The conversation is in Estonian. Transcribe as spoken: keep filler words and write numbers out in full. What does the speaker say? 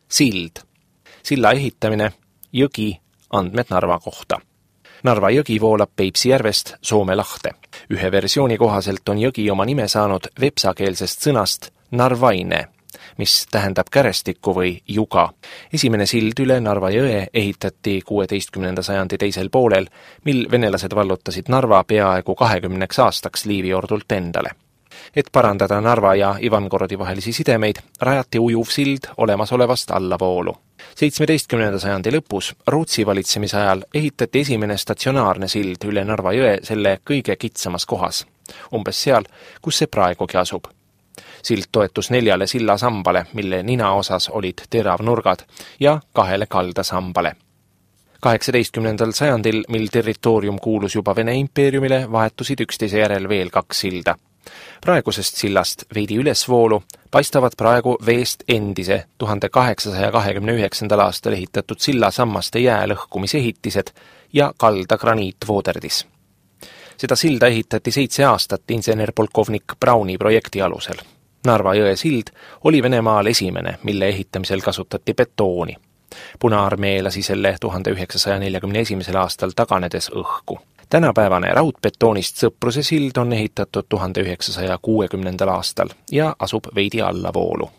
Sild. Silla ehitamine, jõgi, andmed Narva kohta. Narva jõgi voolab Peipsi järvest Soome lahte. Ühe versiooni kohaselt on jõgi oma nime saanud vepsakeelsest sõnast narvaine, mis tähendab kärestikku või juga. Esimene sild üle Narva jõe ehitati kuueteistkümnenda sajandi teisel poolel, mil venelased vallutasid Narva peaaegu kahekümneks aastaks Liiviordult endale. Et parandada Narva ja Ivangorodi vahelisi sidemeid, rajati ujuv sild olemasolevast allavoolu. seitsmeteistkümnenda sajandi lõpus Rootsi valitsemise ajal ehitati esimene statsionaarne sild üle Narva jõe selle kõige kitsamas kohas, umbes seal, kus see praegugi asub. Sild toetus neljale sillasambale, mille nina osas olid teravnurgad, ja kahele kaldasambale. kaheksateistkümnendal sajandil, mil territoorium kuulus juba Vene impeeriumile, vahetusid üksteise järel veel kaks silda. Praegusest sillast veidi ülesvoolu paistavad praegu veest endise tuhande kaheksasaja kahekümne üheksandal aastal ehitatud sillasammaste jää lõhkumisehitised ja kalda graniitvooderdis. Seda silda ehitati seitse aastat insener-polkovnik Brauni projekti alusel. Narva jõe sild oli Venemaal esimene, mille ehitamisel kasutati betooni. Punaarmee lasi selle tuhande üheksasaja neljakümne esimesel aastal taganedes õhku. Tänapäevane raudbetoonist Sõpruse sild on ehitatud tuhande üheksasaja kuuekümnendal aastal ja asub veidi allavoolu.